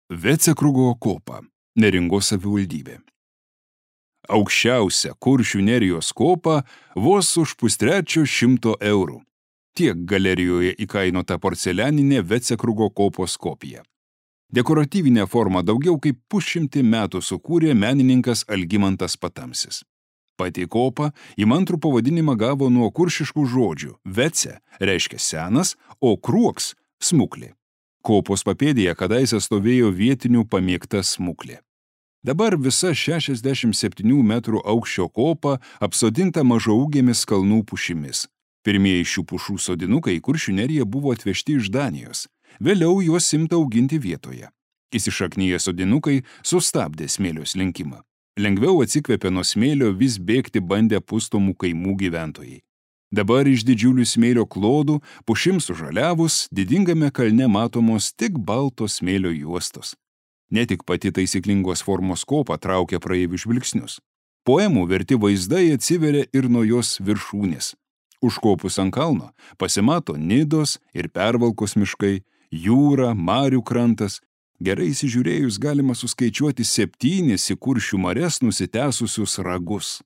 Vecekrugo kopa, Neringos savivaldybė. Aukščiausia Kuršių Nerijos kopa vos už 150 eurų. Tiek galerijoje įkainota porcelianinė Vecekrugo kopos kopija. Dekoratyvinę formą daugiau kaip 100 metų sukūrė menininkas Algimantas Patamsis. Pati kopa įmantrų pavadinimą gavo nuo kuršiškų žodžių. Vece reiškia senas, o kruoks – smuklė. Kopos papėdėje kadaise stovėjo vietinių pamėgta smuklė. Dabar visa 67 metrų aukščio kopa apsodinta mažaūgėmis kalnų pušimis. Pirmieji šių pušų sodinukai į Kuršių Neriją buvo atvežti iš Danijos. Vėliau juos imta auginti vietoje. Įsišaknyję sodinukai sustabdė smėlio slinkimą. Lengviau atsikvėpė nuo smėlio vis bėgti bandę pustomų kaimų gyventojai. Dabar iš didžiulių smėlio klodų, pušims sužaliavus, didingame kalne matomos tik baltos smėlio juostos. Ne tik pati taisyklingos formos kopa traukia praeivių žvilgsnius. Poemų verti vaizdai atsiveria ir nuo jos viršūnės. Užkopus ant kalno pasimato Nidos ir Pervalkos miškai, jūra, marių krantas. Gerai įsižiūrėjus galima suskaičiuoti 7 į Kuršių marias nusitęsusius ragus.